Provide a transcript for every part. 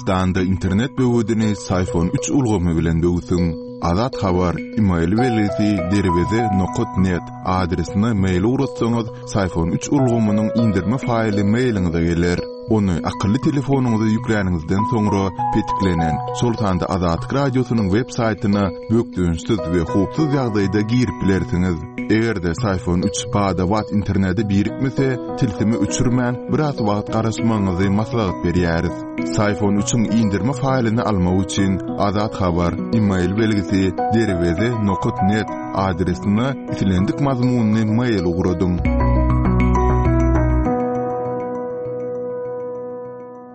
Türkmenistanda internet böwedini Syfon üç ulgamy bilen böwsüň. Azat Habar, email belgisi derweze nokat net adresine mail ugratsaňyz, Syfon üç ulgamynyň indirme faýly mailiňize geler. Ony akylly telefonyňyza ýükläniňizden soňra petiklenen, şol sanda Azatlyk Radiosynyň web saýtyna bökdençsiz we howpsuz ýagdaýda girip bilersiňiz. Eger-de Syfon üç bada-bat internete birikmese, tilsimi öçürmän, biraz wagt garaşmagyňyzy maslahat berýäris. Syfon üçiň indirme faýlyny almak üçin Azat Habar, email belgisi, derweze nokat net adresine islendik mazmunly mail ugradyň.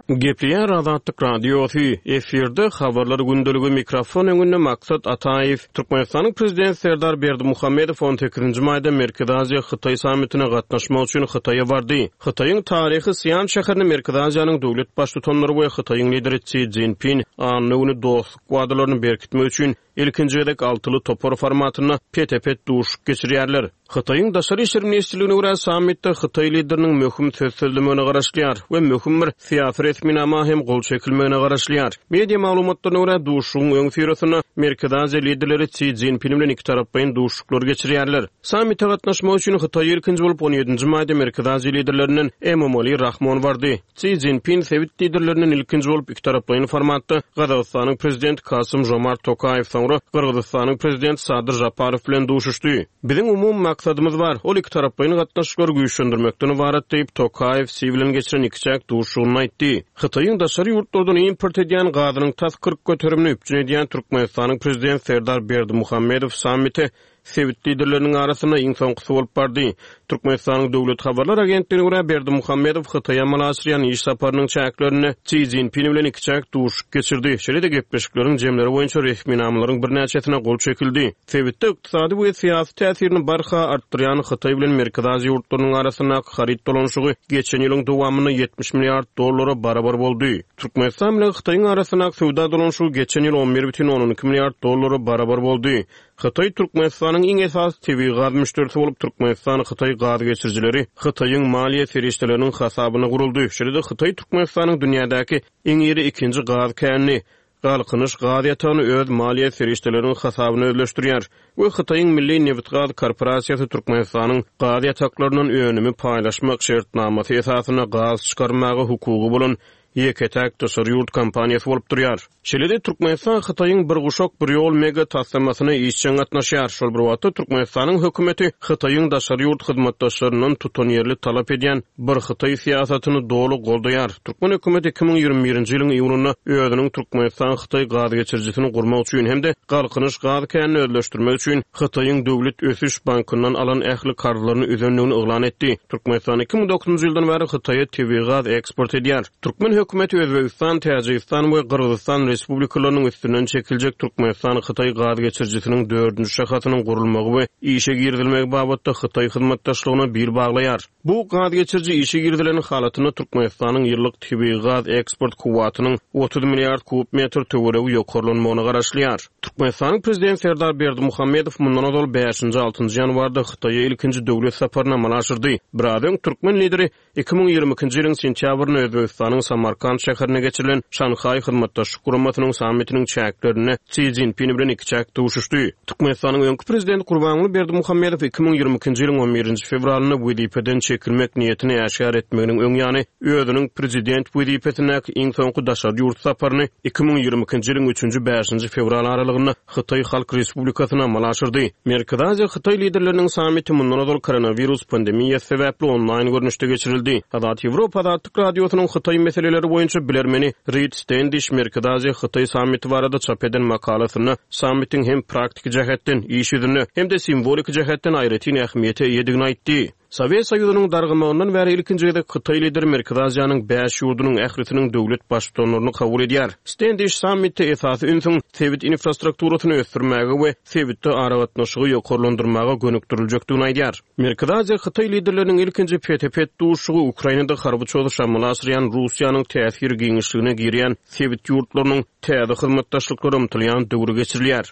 Gepleýär Azatlyk Radiosy, efirde Habarlar gündeligi, mikrofon öňünde Maksat Ataýew. Türkmenistanyň Prezidenti Serdar Berdimuhamedow on sekizinji maýda Merkezi Aziýa, Hytaý sammitine gatnaşmak üçin Hytaýa bardy. Hytaýyň taryhy Sian şäherinde Merkezi Aziýanyň döwlet Baştutanlary we Hytaýyň Lideri Si Szinpin anna güni dostluk wadalaryny berkitmek üçin ilkinji gezek altyly topar formatynda pete-pet duşuşyk geçirýärler. Hytaýyň Daşary işler ministrligine görä, sammitde hytaý lideriniň möhüm söz sözlemegine garaşylýar we möhüm bir syýasy resminama hem gol çekilmegine garaşylýar. Media maglumatlaryna görä, duşuşygyň öňüsyrasynda Merkezi Aziýa liderleri Si Szinpin bilen ikitaraplaýyn duşuşyklar geçirýärler. Sammite gatnaşmak üçin Hytaýa ilkinji bolup on ýedinji maýda Merkezi Aziýa liderlerinden Emomali Rahmon bardy. Si Szinpin sebit liderlerinden ilkinji bolup ikitaraplaýyn formatda Gazagystanyň Prezidenti Kasym-Žomart Tokaýew, soňra Gyrgyzystanyň Prezidenti Sadyr Žaparow bilen duşuşdy. Biziň umumy maksadymyz bar, ol ikitaraplaýyn gatnaşyklary güýçlendirmekden ybarat diýip, Tokaýew Si bilen geçiren ikiçäk duşuşygynda aýtdy. Hytaýyň daşary ýurtlardan import edýän gazynyň tas 40 göterimini üpjün edýän Türkmenistanyň Prezidenti Serdar Berdimuhamedow sammite sebit liderleriniň arasynda iň soňkusy bolup bardy. Türkmenistanyň Döwlet habarlar agentligine görä, Berdimuhamedow Hytaýa amala aşyrýan iş saparynyň çäklerinde Si Szinpin bilen ikiçäk duşuşyk geçirdi. Şeýle-de gepleşikleriň jemleri boýunça resminamalaryň birnäçesine gol çekildi. Sebitde ykdysady we syýasy täsirini barha artdyrýan Hytaý bilen Merkezi Aziýa ýurtlarynyň arasyndaky haryt dolanyşygy geçen ýylyň dowamynda 70 milliard dollara barabar boldy. Türkmenistan bilen Hytaýyň arasyndaky söwda dolanyşygy geçen ýyl 11,2 milliard dollara barabar boldy. Hytaý Türkmenistanyň iň esasy tebigy gaz müşderisi bolup, Türkmenistan-Hytaý gaz geçirijileri Hytaýyň maliýe serişdeleriniň hasabyna guruldy. Şeýle-de Hytaý Türkmenistanyň dünýädäki iň iri ikinji gaz känini, Galkynyş gaz ýatagyny öz maliýe serişdeleriniň hasabyna özleşdirýär we Hytaýyň Milli nebitgaz korporasiýasy Türkmenistanyň gaz ýataklaryndan önümi paýlaşmak şertnamasy esasynda gaz çykarmaga hukugy bolan ýeke-täk daşary ýurt kompaniýasy bolup durýar. Şeýle-de Türkmenistan Hytaýyň Bir guşak, bir ýol mega taslamasyna işjeň gatnaşýar. Şol bir wagtda Türkmenistanyň hökümeti Hytaýyň daşary ýurt hyzmatdaşlaryndan tutanýerli talap edýän Bir Hytaý syýasatyny doly goldaýar. Türkmen hökümeti 2021-nji ýylyň iýunynda özüniň Türkmenistan-Hytaý gazgeçirijisini gurmak üçin hem-de Galkynyş gaz känini özleşdirmek üçin Hytaýyň Döwlet ösüş bankyndan alan ähli karzlaryny üzendigini yglan etdi. Türkmenistan 2009-njy ýyldan bäri Hytaýa tebigy gaz eksport edýär. Türkmen hökümeti Özbegistan, Täjigistan we Gyrgyzystan Respublikalarynyň üstünden çekiljek Türkmenistan-Hytaý gaz geçirijisiniň dördünji şahasynyň gurulmagy we işe girizilmegi babatda Hytaý hyzmatdaşlygyna bil baglaýar. Bu gaz geçiriji işe girizilen halatynda Türkmenistanyň ýyllyk tebigy gaz eksport kuwwatynyň 30 milliard kub metr töweregi ýokarlanmagyna garaşylýar. Türkmenistanyň Prezidenti Serdar Berdimuhamedow mundan ozal bäşinji, altynjy ýanwarda Hytaýa ilkinji döwlet saparyny amala aşyrdy. Biraz öň türkmen Lideri 2022-nji ýylyň sentýabrynda Özbegistanyň Samarkant şäherinde geçirilen Şanhaý Hyzmatdaşlyk Guramasynyň sammitiniň çäklerinde Si Szinpin bilen ikiçäk duşuşdy. Türkmenistanyň öňki Prezidenti Gurbanguly Berdimuhamedow 2022-nji ýylyň on birinji fewralynda wezipeden çekilmek niýetini äşgär etmeginiň öň ýany özüniň prezident wezipesindäki iň soňky daşary ýurt saparyny 2022-nji ýylyň üçünji, bäşinji fewral aralygynda Hytaý Halk Respublikasyna amala aşyrdy. Merkezi Aziýa Hytaý liderleriniň sammiti mundan ozal koronawirus pandemiýasy sebäpli onlaýn görnüşde geçirildi. Azat Ýewropa Azatlyk Radiosynyň Hytaý meseleleri boýunça bilermeni Rid Stendiş Merkezi Aziýa Hytaý sammiti barada çap eden makalasynda sammitiň hem praktiki jähetden, iş ýüzünde, hem-de simwoliki jähetden aýratyn ähmiýete eýedigini aýtdy. Sowet Soýuzynyň dargamagyndan bäri ilkinji gezek hytaý lideri Merkezi Aziýanyň bäş ýurdunyň ählisiniň döwlet Baştutanlaryny kabul edýär. Stendiş sammitde esasy ünsüň sebit infrastrukturasyny ösdürmäge we sebitde aragatnaşygy ýokarlandyrmaga gönükdiriljekdigini aýdýar. Merkezi Aziýa hytaý liderleriniň ilkinji pete-pet duşuşygy Ukrainada harby çozuş amala aşyrýan Russiýanyň täsir giňişligine girýän sebit ýurtlarynyň täze hyzmatdaşlyklara ymtylýan döwri geçirilýär.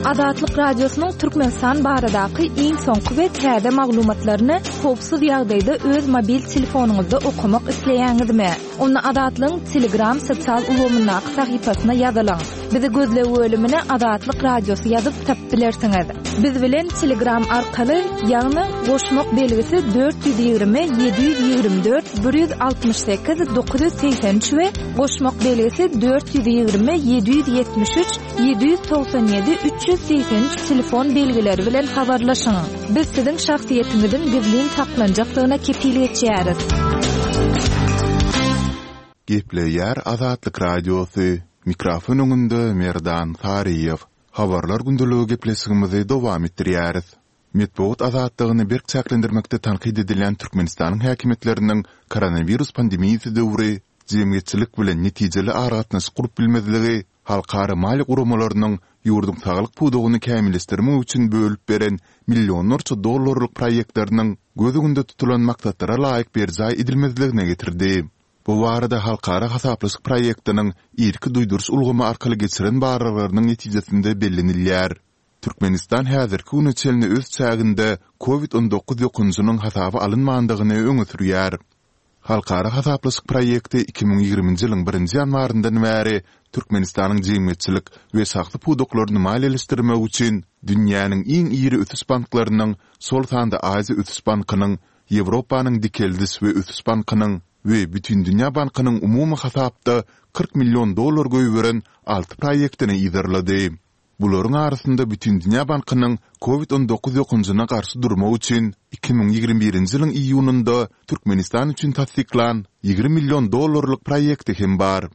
Azatlyk Radiosynyň Türkmenistan baradaky iň soňky we täze maglumatlaryny howpsuz ýagdaýda öz mobil telefonyňyzda okamak isleýäňizmi? Onda Azatlygyň Telegram sosial ulgamyndaky sahypasyna ýazylyň. Bizi gözleg bölümine Azatlyk Radiosy ýazyp tapyp bilersiňiz. Biz bilen Telegram arkaly, ýagny goşmak belgisi 420 724 168 983 we goşmak belgisi 420 773 797 383 telefon belgileri bilen habarlaşyň. Biz siziň şahsyýetiňiziň gizlin saklanjakdygyna kepil geçýäris. Gepleýär Azatlyk Radiosy, Mikrofon öňünde Merdan Saryýew. Habarlar gündeligi gepleşigimizi dowam etdirýäris. Metbugat azatlygyny berk çäklendirmekde tankyt edilýän Türkmenistanyň häkimiýetleriniň koronawirus pandemiýasy döwri jemgyýetçilik bilen netijeli aragatnaşyk gurup bilmezligi halkara maliýe guramalarynyň ýurduň saglyk pudagyny kämilleşdirmek üçin bölüp beren millionlarça dollarlyk proýektleriniň göz öňünde tutulan maksatlara laýyk berjaý edilmezligine getirdi. Bu barada halkara hasaplaşyk proýektiniň irki duýduryş ulgamy arkaly geçiren barlaglarynyň netijesinde bellenilýär. Türkmenistan häzirki güne çenli öz çäginde Covid 19 ýokanjynyň hasaba alynmandygyny öňe sürýär. Halkara hasaplaşyk proýekti 2020-nji ýylyň birinji ýanwaryndan bäri Türkmenistanyň jemgyýetçilik we şahsy pudaklaryny maliýeleşdirmek üçin dünýäniň iň iri ösüş banklarynyň, şol sanda Aziýa ösüş bankynyň, Ýewropanyň Dikeldiş we ösüş bankynyň we Bütindünýä bankynyň umumy hasapda 40 million dollar goýberen alty proýektini yzarlady. Bularyň arasynda Bütindünýä bankynyň Covid 19 ýokanjyna garşy durmak üçin 2021-nji ýylyň iýunynda Türkmenistan üçin tassyklan 20 million dollarlyk proýekti hem bar.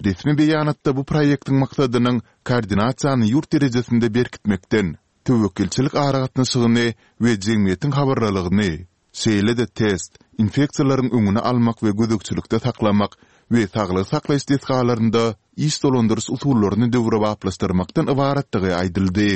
Resmi beýanatda bu proýektiň maksadynyň koordinasiýany ýurt derejesinde berkitmekden, töwekgelçilik aragatnaşygyny we jemgyýetiň habarlylygyny, Şeýle-de test, infeksiýalaryň öňüni almak we gözegçilikde saklamak we saglygy saklaýyş desgalarynda iş dolandyryş usullaryny döwrebaplaşdyrmakdan ybaratdygy aýdyldy.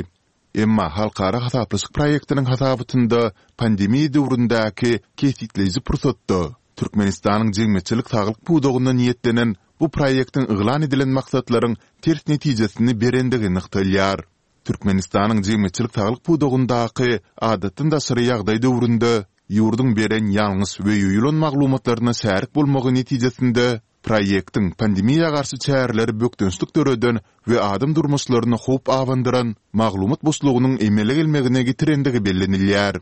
Emma halkara hasaplaşyk proýektiniň hasabatynda pandemiýa döwründäki kesgitleýji pursatda Türkmenistanyň jemgyýetçilik saglyk pudagyna niýetlenen bu proýektiň yglan edilen maksatlaryň ters netijesini berendigi nygtalýar. Türkmenistanyň jemgyýetçilik saglyk pudagyndaky adatdan daşary ýagdaý döwründe ýurduň beren ýalňyş we ýoýulan maglumatlaryna şärik bolmagy netijesinde proýektiň pandemiýa garşy çäreleri bökdençlik döreden we adam durmuşlaryna howp abandyran maglumat boşlugynyň emele gelmegine getirendigi bellenilýär.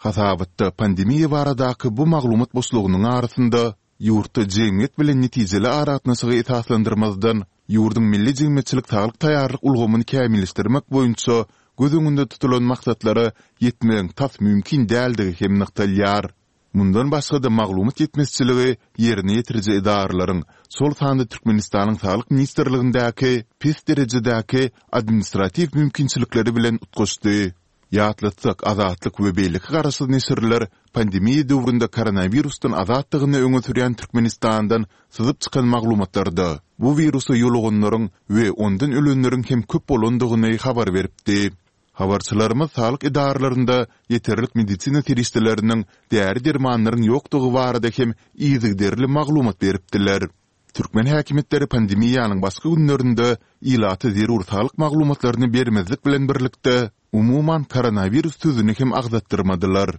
Hasabatda pandemiýa baradaky bu maglumat boşlugynyň arasynda Ýurtda jemgyýet bilen netijeli aragatnaşygy esaslandyrmazdan, ýurduň milli jemgyýetçilik saglyk taýýarlyk ulgamyny kämilleşdirmek boýunça göz öňünde tutulan maksatlara ýetmegiň tas mümkin däldigi hem nygtalýar. Mundan başga-da maglumat ýetmezçiligi ýerine ýetiriji edaralaryň, şol sanda Türkmenistanyň Saglyk ministrligindäki pes derejedäki administratiw mümkinçilikleri bilen utgaşdy. Ýatlatsak, Azatlyk we beýleki garaşsyz neşirler pandemiýa döwründe koronawirusdan azatdygyny öňe sürýän Türkmenistandan syzyp çykan maglumatlarda bu wirusa ýoluganlaryň we ondan ölenleriň hem köp bolandygyny habar beripdi. Habarçylarymyz saglyk edaralarynda ýeterlik medisina serişdeleriniň, däri-dermanlaryň ýokdugy barada hem yzygiderli maglumat beripdiler. Türkmen häkimiýetleri pandemiýanyň başky günlerinde ilata zerur saglyk maglumatlaryny bermezlik bilen birlikde, umuman koronawirus sözüni hem agzatdyrmadylar.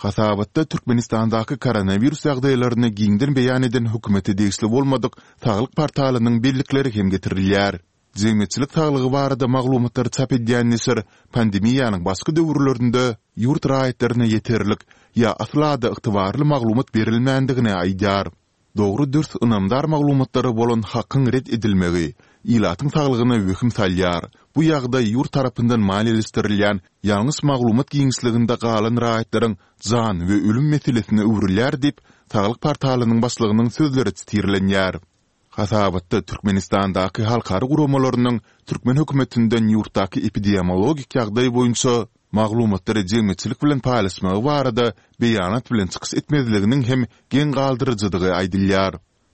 Hasabatda Türkmenistandaky koronawirus ýagdaýlaryny giňden beýan eden hökümete degişli bolmadyk saglyk portalynyň bellikleri hem getirilýär. Jemgyýetçilik saglygy barada maglumatlary çap edýän neşir pandemiýanyň başky döwürlerinde ýurt raýatlaryna ýeterlik ýa asla-da ygtybarly maglumat berilmändigini aýdýar. Dogry-dürs ynamdar maglumatlara bolan hakyň ret edilmegi ilatyň saglygyna wehim salýar. Bu ýagdaý ýurt tarapyndan maliýeleşdirilýän ýalňyş maglumat giňişliginde galan raýatlaryň jan we ölüm meselesine öwrülýär diýip, Saglyk portalynyň başlygynyň sözleri sitirlenýär. Hasabatda Türkmenistandaky halkara guramalarynyň türkmen hökümetinden ýurtdaky epidemiologik ýagdaý boýunça maglumatlary jemgyýetçilik bilen paýlaşmagy barada beýanat bilen çykyş etmezliginiň hem geň galdyryjydygy aýdylýar.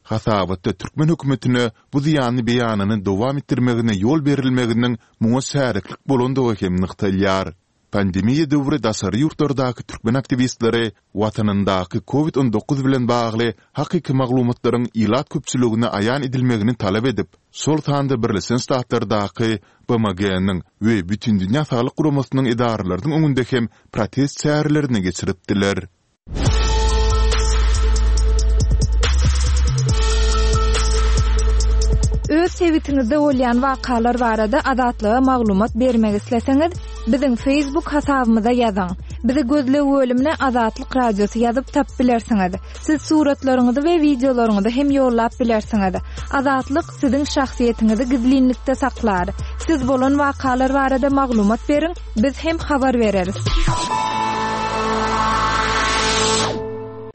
Hasabatda türkmen hökümetine bu zyýanly beýanyny dowam etdirmegine ýol berilmeginiň muňa şäriklik bolandygy hem nygtalýar. Pandemiýa döwri daşary ýurtlardaky türkmen aktiwistleri watanyndaky Covid 19 bilen bagly hakyky maglumatlaryň ilat köpçüligine aýan edilmegini talap edip, şol sanda Birleşen Ştatlardaky BMG-niň we Bütindünýä Saglyk Guramasynyň edaralarynyň öňünde hem protest çärelerini geçiripdiler. Öz sebitiňizde bolýan wakalar barada Azatlyga maglumat bermek isleseňiz, biziň Facebook hasabymyza ýazyň. Bizi gözleg bölümine Azatlyk Radiosy ýazyp tapyp bilersiňiz. Siz suratlaryňyzy we wideolaryňyzy hem ýollap bilersiňiz. Azatlyk siziň şahsyýetiňizi gizlinlikde saklar. Siz bolan wakalar barada maglumat beriň, biz hem habar bereris.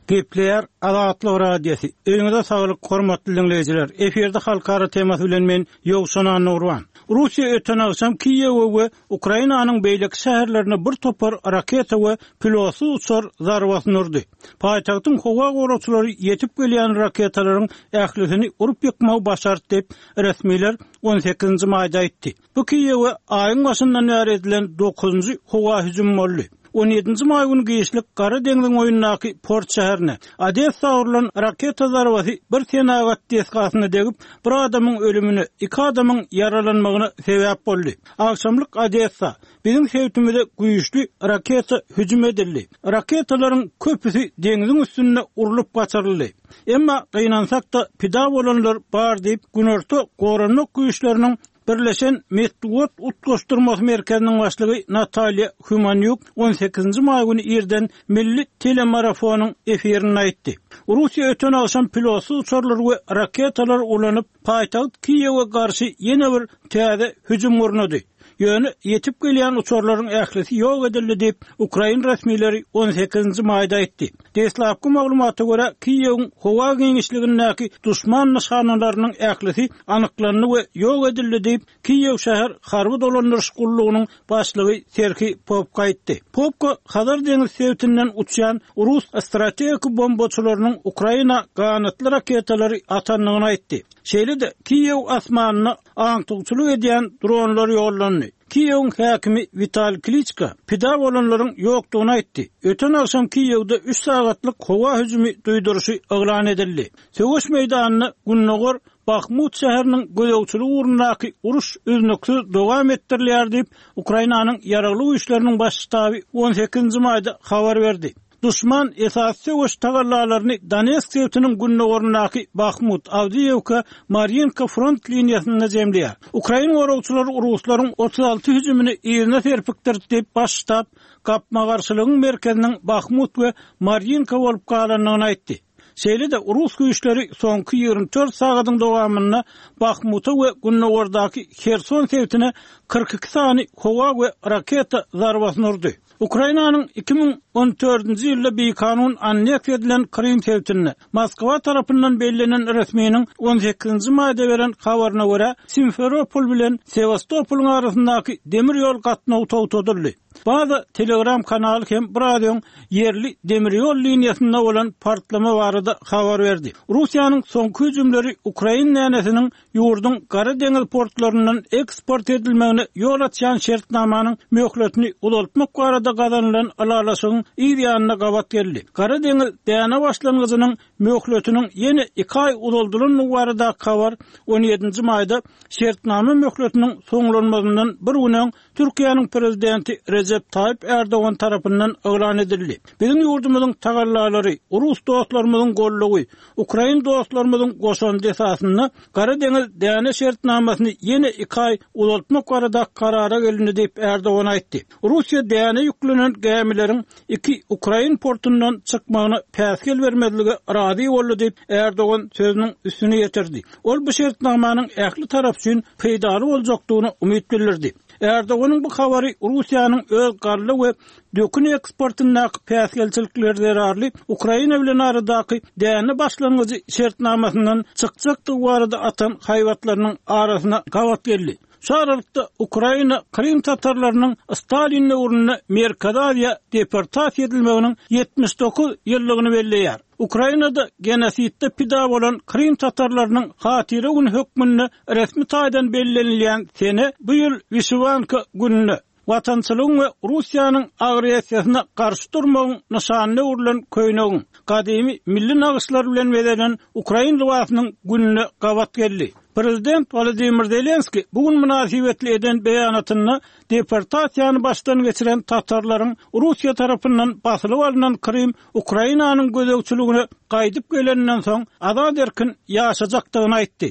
Gepleýär Azatlyk Radiosy. Öýüňize saglyk, hormatly diňleýjiler. Efirde halkara temasy bilen men Ýowşan Annagurban. Russiýa öten agşam Kiýewe we Ukrainanyň beýleki şäherlerine bir topar raketa we pilotsyz uçar zarbasyny urdy. Paýtagtyň howa goragçylary ýetip gelýän raketalaryň ählisini urup ýykmagy başardy diýip, resmiler on sekizinji maýda aýtdy. Bu Kiýewe aýyň başyndan bäri edilen dokuzynjy howa hüjümi boldy. On ýedinji maý güni giçlik Gara deňziň boýundaky port şäherine, Odessa urlan raketa zarbasy bir senagat desgasyna degip, bir adamyň ölümine, iki adamyň ýaralanmagyna sebäp boldy. Agşamlyk Odessa, Biziň sebitimize güýçli raketa hüjüm edildi. Raketalaryň köpüsi deňziň üstünde urlup gaçyryldy. Emma, gynansak-da, pida bolanlar bar diýip, Günorta Goranmak güýçleriniň Birleşen metbugat utgaşdyrmasy merkeziniň başlygy Natalýa Humanýuk on sekizinji maý güni irden milli telemarafonyň efirinde aýtdy. Russiýa öten agşam pilotsyz uçarlary we raketalary ulanyp, paýtagt Kiýewe garşy ýene bir täze hüjüm gurnady. Ýöne ýetip gelýän uçarlaryň ählisi ýok edildi diýip, ukrain resmileri on sekizinji maýda aýtdy. Deslapky maglumata görä, Kiýewiň howa giňişligindäki duşman nyşanalarynyň ählisi anyklandy we ýok edildi diýip, Kiýew şäher harby dolandyryş gullugynyň başlygy Serhiý Popko aýtdy. Popko Hazar deňiz sebitinden uçýan rus strategik bombaçylarynyň Ukraina ganatly raketalary atandygyny aýtdy. Şeýle-de, Kiýew asmanyna aňtawçylyk edýän dronlar ýollandy. Kiýewiň häkimi Witaliý Kliçko pida bolanlaryň ýokdugyny aýtdy. Öten agşam Kiýewde üç sagatlyk howa hüjümi duýduryşy yglan edildi. Söweş meýdanynda gündogar Bahmut şäheriniň gözegçiligi ugrundaky uruş üznüksiz dowam etdirilýär diýip, Ukrainanyň Ýaragly Güýçleriniň Baş ştaby on sekizinji maýda habar berdi. Duşman esasy söweş tagallalaryny Donetsk sebitiniň gündogaryndaky Bahmut, Awdiýewka, Marýinka front liniýasynda jemleýär. Ukrain goragçylary ruslaryň 36 hüjümini yzyna serpikdirdi diýip, Baş ştab gapma-garşylygyň merkeziniň Bahmut we Marýinka bolup galandygyny aýtdy. Şeýle-de, rus güýçleri soňky 24 sagadyň dowamynda Bahmuta we gündogardaky Herson sebitine 42 sany howa we raketa zarbasyny urdy. Ukrainanyň 2014-nji ýylda bikanun anneksiýa edilen Krym sebitinde, Moskwa tarapyndan bellenen resminiň on sekizinji maýda beren habaryna görä, Simferopol bilen Sewastopolyň arasyndaky demir ýol gatnawy togtadyldy. Baza Telegram kanaly hem biraz öň ýerli demir ýol liniýasynda bolan partlama barada habar berdi. Russiýanyň soňky hüjümleri ukrain dänesiniň ýurduň Gara deňiz portlaryndan eksport edilmegine ýol açýan şertnamanyň möhletini uzaltmak barada gazanylan ylalaşygyň yz ýanyna gabat geldi. Gara deňiz däne başlangyjynyň möhletiniň ýene iki aý uzaldylandygy baradaky habar on ýedinji maýda şertnama möhletiniň soňlanmazyndan bir gün öň Türkiýäniň Prezidenti Rejep Taýyp Ärdogan tarapyndan yglan edildi. Biziň ýurdumyzyň tagallalary, rus dostlarymyzyň goldawy, ukrain dostlarymyzyň goşandy esasynda Gara deňiz däne şertnamasyny ýene iki aý uzaltmak barada karara gelindi diýip, Ärdogan aýtdy. Russiýa däne ýüklenen gämileriň iki ukrain portundan çykmagyna päsgel bermezlige razy boldy diýip, Ärdogan sözüniň üstüni ýetirdi. Ol bu şertnamanyň ähli tarap üçin peýdaly boljakdygyna umyt bildirdi. Ärdoganyň bu habary Russiýanyň öz galla we dökün eksportyndaky päsgelçilikler zerarly Ukraina bilen aradaky däne başlangyjy şertnamasyndan çykjakdygy barada atan haýbatlarynyň arasyna gabat geldi. Şu aralykda, Ukraina krym tatarlarynyň Stalin döwründe Merkezi Aziýa deportasiýa edilmeginiň 79 ýyllygyny belleýär. Ukrainada genosidde pida bolan krym tatarlarynyň hatyra güni hökmünde resmi taýdan bellenilýän sene bu ýyl Wişiwanka gününe. Watançylygyň we Russiýanyň agressiýasyna garşy durmagyň nyşanyna öwrülen köýnegiň, gadymy milli nagyşlar bilen bezelen ukrain lybasynyň gününe gabat geldi. Prezident Wolodymyr Zelenskiý bu gün mynasybetli eden beýanatynda deportasiýany başdan geçiren tatarlaryň Russiýa tarapyndan basylyp alnan Krym Ukrainanyň gözegçiligine gaýdyp geleninden soň azat-erkin ýaşajakdygyny aýtdy.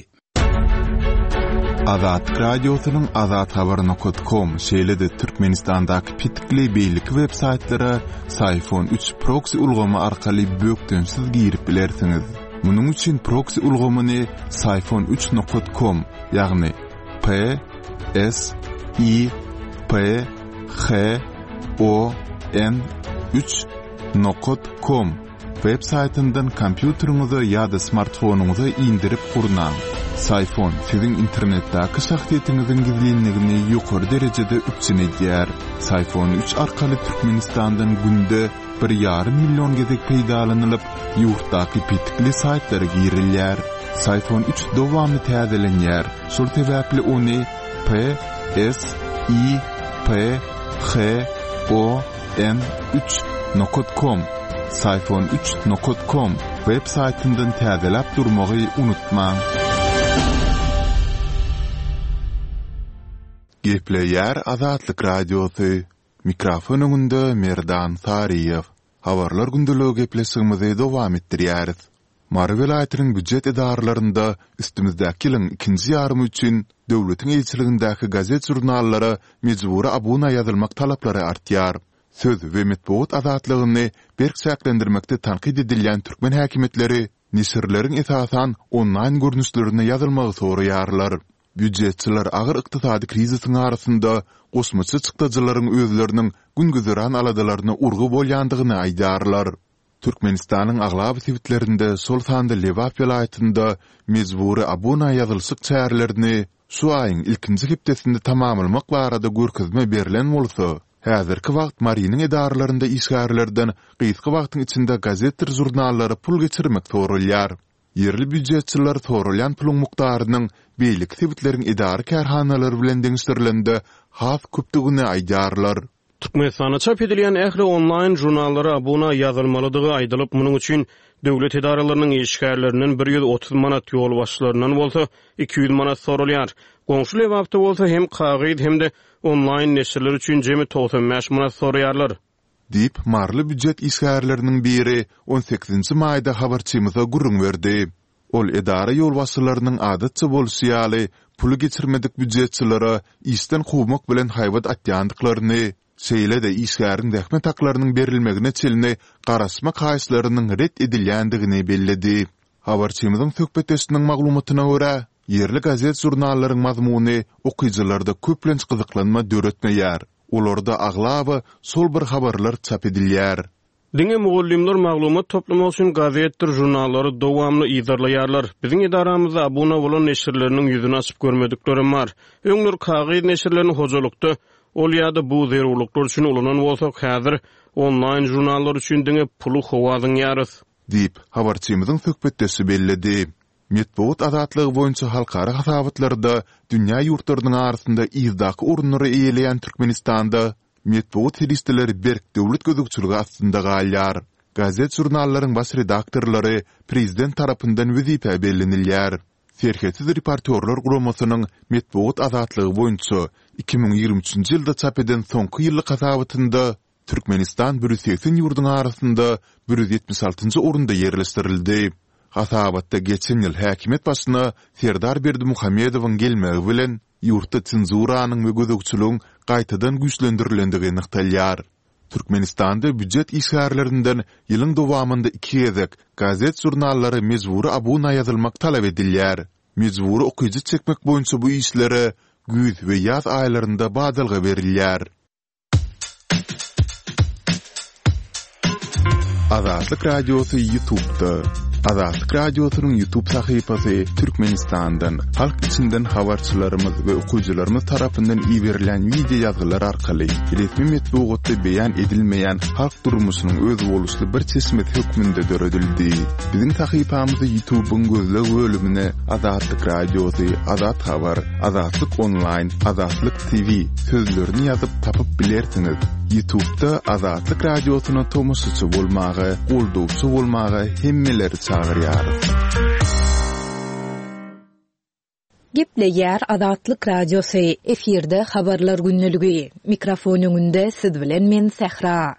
Azatlyk Radiosynyň azathabar nokat kom, şeýle-de Türkmenistandaky petikli beýleki web saýtlara Syfon üç proksi ulgamy arkaly bökdençsiz girip bilersiňiz. Munuň üçin proksi ulgamyny Syfon üç nokat kom, ýagny P S I P H O N üç nokat kom web saýtyndan kompýuteriňize ýa-da smartfonyňyza indirip gurnaň. Syfon siziň internetdäki şahsyýetiňiziň gizlinligini ýokary derejede üpjün edýär. Syfon üç arkaly Türkmenistandan günde bir ýarym million gezek peýdalanylyp, ýurtdaky petikli saýtlara girilýär. Syfon üç dowamly täzelenýär, şol sebäpli ony P S I P H O N üç nokat kom, Syfon üç nokat kom, web saýtyndan täzeläp durmagy unutmaň. Gepleýär Azatlyk Radiosy, Mikrofon öňünde Merdan Saryýew. Habarlar gündeligi gepleşigimizi dowam etdirýäris. Mary welaýatynyň býujet edaralarynda üstümizdäki ýylyň ikinji ýarymy üçin döwletiň eýeçiligindäki gazet-žurnallara mejbury abuna ýazylmak talaplary artýar. Söz we metbugat azatlygyny berk çäklendirmekde tankyt edilýän türkmen häkimiýetleri neşirleriň esasan onlaýn görnüşlerine ýazylmagy soraýarlar. Býujetçiler agyr ykdysady krizisiň arasynda goşmaça çykdajylaryň özleriniň gün-güzeran aladalaryna urgy bolýandygyny aýdýarlar. Türkmenistanyň aglaba sebitlerinde, şol sanda Lebap welaýatynda mejbury abuna ýazylyşyk çärelerini şu aýyň ilkinji hepdesinde tamamlamak barada görkezme berlen bolsa, häzirki wagt Marynyň edaralarynda işgärlerden gysga wagtyň içinde gazetdir žurnallara pul geçirmek soralýar. Ýerli býujetçiler soralýan puluň mukdarynyň beýleki sebitleriň edara-kärhanalary bilen deňeşdirilende has köpdügini aýdýarlar. Türkmenistanda çap edilýän ähli onlaýn žurnallara abuna ýazylmalydygy aýdylyp, munuň üçin döwlet edaralarynyň işgärlerinden 130 manat, ýolbaşçylaryndan bolsa 200 manat soralýar. Goňşy Lebapda bolsa hem kagyz, hem-de onlaýn neşirler üçin jemi 95 manat soraýarlar. Diýip, maryly býujet işgärleriniň biri on sekizinji maýda habarçymyza gürrüň berdi. Ol edara ýolbaşçylarynyň adatça bolşy ýaly, puly geçirmedik býujetçilere işden kowmak bilen haýbat atýandyklaryny, şeýle-de işgäriň zähmet haklarynyň berilmegine çenli garaşmak haýyşlarynyň ret edilýändigini belledi. Habarçymyzyň söhbetdeşiniň maglumatyna görä, ýerli gazet-žurnallaryň mazmuny okyjylarda köplenç gyzyklanma döretmeýär. Olarda aglaba şol bir habarlar çap edilýär. Diňe mugallymlar maglumat toplamak üçin gazetdir žurnallary dowamly yzarlaýarlar. Biziň edaramyzda abuna bolan neşirleriniň ýüzüni açyp görmediklerem bar. Öňler kagyz neşirlerini hojalykda ol ýa-da bu zerurlyklar üçin ulanan bolsak, häzir onlaýn žurnallar üçin diňe puly howa zyňýarys. Diýip, habarçymyzyň söhbetdeşi belledi. Metbugat azatlygy boýunça halkara hasabatlarda dünýä ýurtlarynyň arasynda yzdaky orunlary eýeleýän Türkmenistanda metbugat serişdeleri berk döwlet gözegçiligi astynda galýar. Gazet-žurnallaryň baş redaktorlary prezident tarapyndan wezipä bellenilýär. Serhetsiz reportýorlar guramasynyň metbugat azatlygy boýunça 2023-nji ýylda çap eden soňky ýyllyk hasabatynda Türkmenistan 180 ýurduň arasynda 176-njy orunda ýerleşdirildi. Hasabatda geçen ýyl häkimiýet başyna Serdar Berdimuhamedowyň gelmegi bilen ýurtda senzuranyň we gözegçiligiň gaýtadan güýçlendirilendigi nygtalýar. Türkmenistanda býujet işgärlerinden ýylyň dowamynda iki gezek gazet-žurnallara mejbury abuna ýazylmak talap edilýär. Mejbury okyjy çekmek boýunça bu işlere güýz we ýaz aýlarynda badalga berilýär. Azatlyk Radiosy YouTube'da. Azatlyk Radiosynyň YouTube sahypasy Türkmenistandan, halk içinden habarçylarymyz we okyjylarymyz tarapyndan iberilýän wideo ýazgylar arkaly resmi metbugatda beýan edilmeýän halk durmuşynyň özboluşly bir çeşmesi hökmünde döredildi. Biziň sahypamyzy YouTube-yň gözleg bölümine Azatlyk Radiosy, Azat Habar, Azatlyk Onlaýn, Azatlyk TV sözlerini ýazyp tapyp bilersiňiz. Ýutubda Azatlyk Radiosyna tomaşaçy bolmaga, goldawçy bolmaga hemmeleri çagyrýarys. Gepleýär Azatlyk Radiosy, efirde Habarlar gündeligi. Mikrofon öňünde siz bilen men Sähra.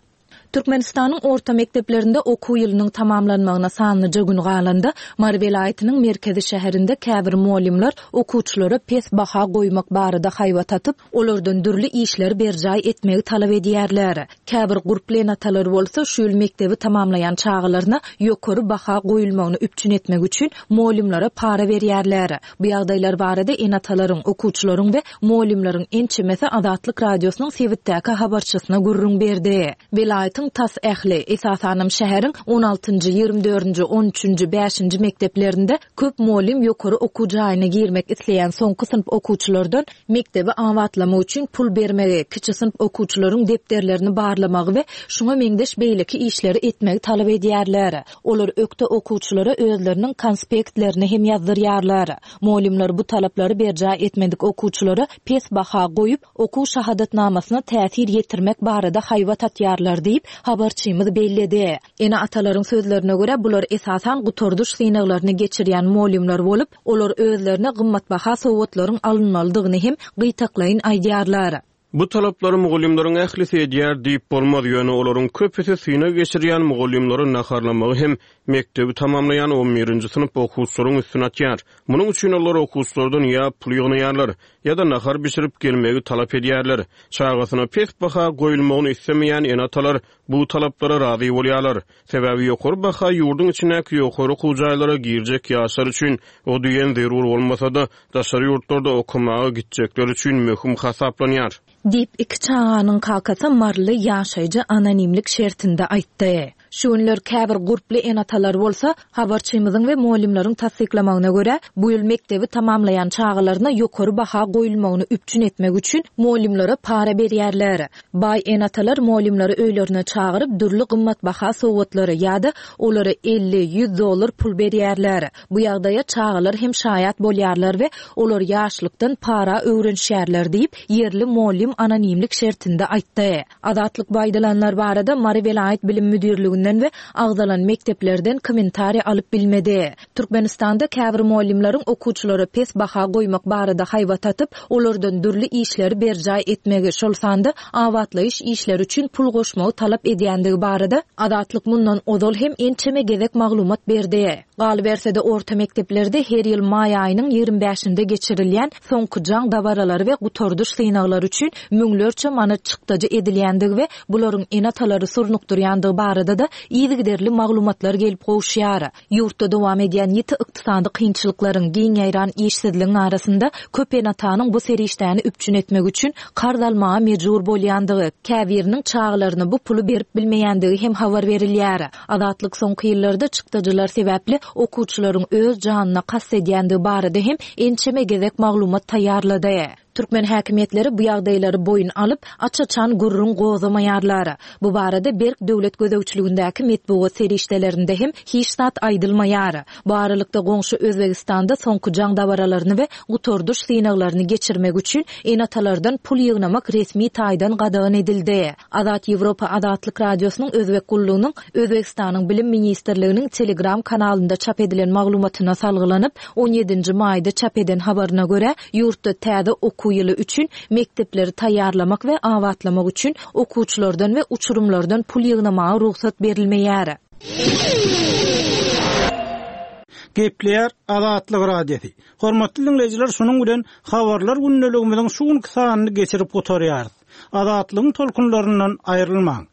Türkmenistanyň orta mekdeplerinde okuw ýylynyň tamamlanmagyna sanlyja gün galanda, Mary welaýatynyň merkezi şäherinde käbir mugallymlar okuwçylara pes baha goýmak barada haýbat atyp, olardan dürli işleri berjaý etmegi talap edýärler. Käbir gurply ene-atalar bolsa şu ýyl mekdebi tamamlaýan çagalaryna ýokary baha goýulmagyny üpjün etmek üçin mugallymlara para berýärler. Bu ýagdaýlar barada ene-atalaryň, okuwçylaryň we mugallymlaryň ençemesi Azatlyk Radiosynyň sebitdäki habarçysyna gürrüň berdi. Welaýatyň tas ähli, esasanam şäheriň on altynjy, 20 dördünji, on üçünji, bäşinji mekdeplerinde köp mugallym ýokary okuw jaýyna girmek isleýän soňky synp okuwçylardan mekdebi abatlamak üçin pul bermegi, kiçi synp okuwçylaryň depderlerini barlamagy we şuňa meňzeş beýleki işleri etmegi talap edýärler. Olar ökde okuwçylara özleriniň konspektlerini hem ýazdyrýarlar. Mugallymlar bu talaplary berjaý etmedik okuwçylara pes baha goýup, okuw şahadatnamasyna täsir ýetirmek barada haýbat atýarlar diýip, habarçymyz belledi. Ene-atalaryň sözlerine görä, bular esasan gutardyş synaglaryny geçirýän mugallymlar bolup, olar özlerine gymmatbaha sowgatlaryň alynmalydygyny hem gytaklaýyn aýdýarlar. Bu talaplary mugallymlaryň ählisi edýär diýip bolmaz, ýöne olaryň köpüsi synag geçirýän mugallymlary naharlamagy hem mekdebi tamamlaýan on birinji synp okuwçylaryň üstüne atýar. Munuň üçin olar okuwçylardan ýa pul ýygnaýarlar, ýa-da nahar bişirip gelmegi talap edýärler. Çagasyna pes baha goýulmagyny islemeýän ene-atalar bu talaplara razy bolýarlar. Sebäbi ýokary baha ýurduň içindäki ýokary okuw jaýlara girjek ýaşlar üçin o diýen zerur bolmasa-da, daşary ýurtlarda okamaga gitjekler üçin möhüm hasaplanýar. Diýip, iki çaganyň kakasy maryly ýaşaýjy anonimlik şertinde aýtdy. Şu günler käbir gurply ene-atalar bolsa, habarçymyzyň we mugallymlaryň tassyklamagyna görä, bu ýyl mekdebi tamamlaýan çagalaryna ýokary baha goýulmagyny üpjün etmek üçin mugallymlara para berýärler. Baý ene-atalar mugallymlary öýlerine çagyryp, dürli gymmatbaha sowgatlary ýa-da olara 50, 100 dollar pul berýärler. Bu ýagdaýa çagalar hem şaýat bolýarlar we olar ýaşlykdan para öwrenişýärler diýip, ýerli mugallym anonimlik şertinde aýtdy. Azatlyk bu aýdylanlar barada Mary welaýat bilim müdirliginden we agzalan mekdeplerden kommentariý alyp bilmedi. Türkmenistanda käbir mugallymlaryň okuwçylara pes baha goýmak barada haýbat atyp, olardan dürli işleri berjaý etmegi, şol sanda abatlaýyş işleri üçin pul goşmagy talap edýändigi barada Azatlyk mundan ozal hem ençeme gezek maglumat berdi. Galyberse-de, orta mekdeplerde her ýyl maý aýynyň 20 bäşinde geçirilýän soňky jaň dabaralary we gutardyş synaglary üçin müňlerçe manat çykdajy edilýändigi we bularyň ene-atalary surnukdyrýandygy barada-da yzygiderli maglumatlar gelip gowuşýar. Ýurtda dowam edýän ýiti ykdysady kynçylyklaryň, giň ýaýran işsizligiň arasynda köp ene-atanyň bu serişdäni üpjün etmek üçin karz almaga mejbur bolýandygy, käbiriniň çagalaryna bu puly berip bilmeýändigi hem habar berilýär. Azatlyk soňky ýyllarda çykdajylar sebäpli okuwçylaryň öz janyna kast edýändigi barada hem ençeme gezek maglumat taýýarlady. Türkmen häkimiýetleri bu ýagdaýlary boýun alyp, aç-açan gürrüň gozgamaýarlar. Bu barada berk döwlet gözegçiligindäki metbugat serişdelerinde hem hiç zat aýdylmaýar. Bu aralykda goňşy Özbegistanda soňky jaň dabaralaryny we gutardyş synaglaryny geçirmek üçin ene-atalardan pul ýygnamak resmi taýdan gadagan edildi. Azat Ýewropa Azatlyk Radiosynyň Özbek gullugynyň Özbegistanyň Bilim ministrliginiň Telegram kanalynda çap edilen maglumatyna salgylanyp, on ýedinji maýda çap eden habaryna görä, ýurtda täze okuw ýyly üçin mekdepleri taýýarlamak we abatlamak üçin okuwçylardan we uçurymlardan pul ýygnamaga rugsat berilmeýär. Gepleýär Azatlyk Radiosy. Hormatly diňleýjiler, şunuň bilen Habarlar gündeligimiziň şu günki sanyny geçirip gutarýarys. Azatlygyň tolkunlaryndan aýrylmaň!